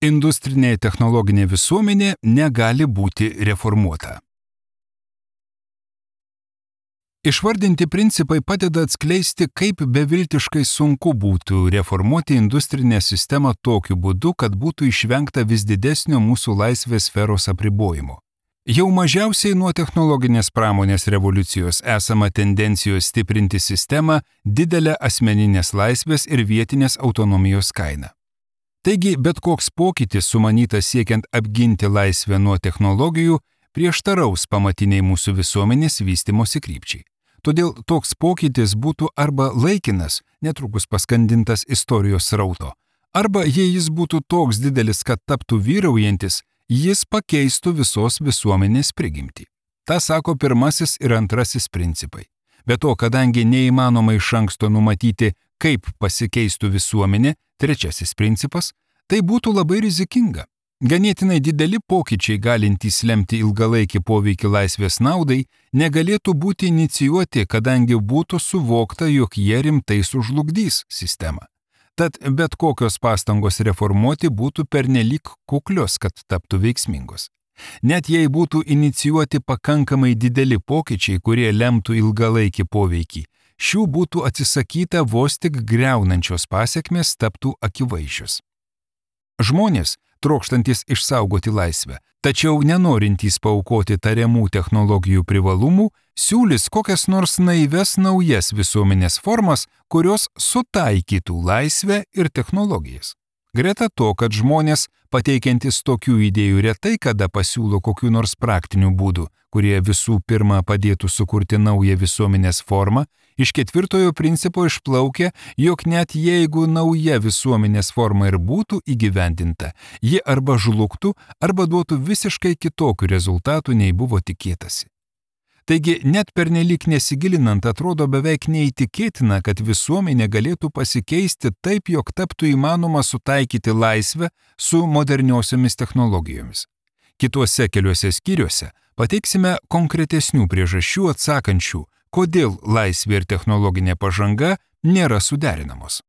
Industrinė technologinė visuomenė negali būti reformuota. Išvardinti principai padeda atskleisti, kaip beviltiškai sunku būtų reformuoti industrinę sistemą tokiu būdu, kad būtų išvengta vis didesnio mūsų laisvės sferos apribojimo. Jau mažiausiai nuo technologinės pramonės revoliucijos esama tendencijos stiprinti sistemą didelę asmeninės laisvės ir vietinės autonomijos kainą. Taigi, bet koks pokytis sumanytas siekiant apginti laisvę nuo technologijų prieštaraus pamatiniai mūsų visuomenės vystymosi krypčiai. Todėl toks pokytis būtų arba laikinas, netrukus paskandintas istorijos srauto, arba jei jis būtų toks didelis, kad taptų vyraujantis, jis pakeistų visos visuomenės prigimtį. Ta sako pirmasis ir antrasis principai. Be to, kadangi neįmanoma iš anksto numatyti, kaip pasikeistų visuomenė, trečiasis principas, tai būtų labai rizikinga. Ganėtinai dideli pokyčiai galintys lemti ilgalaikį poveikį laisvės naudai negalėtų būti inicijuoti, kadangi būtų suvokta, jog jie rimtai sužlugdys sistemą. Tad bet kokios pastangos reformuoti būtų pernelyg kuklios, kad taptų veiksmingos. Net jei būtų inicijuoti pakankamai dideli pokyčiai, kurie lemtų ilgalaikį poveikį, šių būtų atsisakyta vos tik griaunančios pasekmės taptų akivaizdžios. Žmonės, trokštantis išsaugoti laisvę, tačiau nenorintys paaukoti tariamų technologijų privalumų, siūlys kokias nors naives naujas visuomenės formas, kurios sutaikytų laisvę ir technologijas. Greta to, kad žmonės, pateikiantis tokių idėjų retai kada pasiūlo kokių nors praktinių būdų, kurie visų pirma padėtų sukurti naują visuomenės formą, iš ketvirtojo principo išplaukia, jog net jeigu nauja visuomenės forma ir būtų įgyvendinta, ji arba žlugtų, arba duotų visiškai kitokių rezultatų, nei buvo tikėtasi. Taigi, net pernelyg nesigilinant, atrodo beveik neįtikėtina, kad visuomenė galėtų pasikeisti taip, jog taptų įmanoma sutaikyti laisvę su moderniosiomis technologijomis. Kituose keliuose skyriuose pateiksime konkretesnių priežasčių atsakančių, kodėl laisvė ir technologinė pažanga nėra suderinamos.